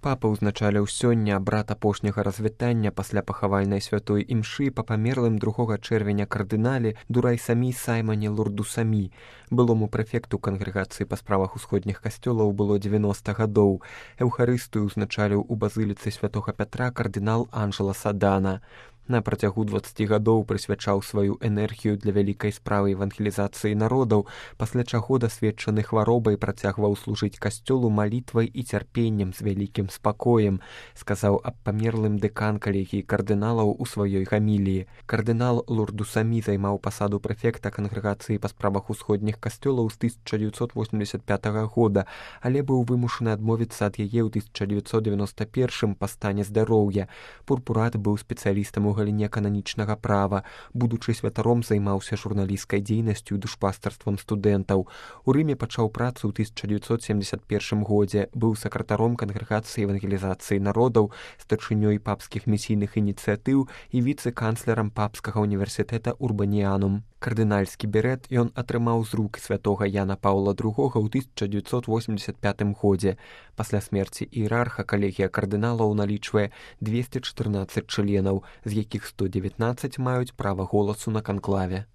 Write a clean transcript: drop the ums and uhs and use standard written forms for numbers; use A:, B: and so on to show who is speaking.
A: Папа ўзначаліў сёння абрад апошняга развітання пасля пахавальнай святой імшы па памерлым 2 чэрвеня кардынале Дурай-Самі Саймане Лурду-Самі. Былому прэфекту кангрэгацыі па справах усходніх касцёлаў было 90 гадоў. Эўхарыстыю ўзначаліў у базыліцы святога Пятра кардынал Анжела Садана. На працягу 20 гадоў прысвячаў сваю энергію для вялікай справы евангелізацыі народаў, пасля чаго дасведчаны хваробай працягваў служыць касцёлу малітвай і цярпеннем з вялікім спакоем, сказаў аб памерлым дэкан калегіі кардыналаў у сваёй гаміліі. Кардынал Лурду-Самі займаў пасаду прэфекта кангрэгацыі па справах усходніх касцёлаў з 1985 года, але быў вымушаны адмовіцца ад яе ў 1991 па стане здароўя. Пурпурат быў спецыялістам у галіне кананічнага права. Будучы святаром, займаўся журналісцкай дзейнасцю і душпастарствам студэнтаў. У Рыме пачаў працу ў 1971 годзе, быў сакратаром кангрэгацыі евангелізацыі народаў, старшынёй папскіх місійных ініцыятыў і віцэ-канцлерам папскага універсітэта Урбаніянум. Кардынальскі берэт ён атрымаў з рук святога Яна Паўла II ў 1985 годзе. Пасля смерці іерарха калегія кардыналаў налічвае 214 членаў, з якіх 119 маюць права голасу на канклаве.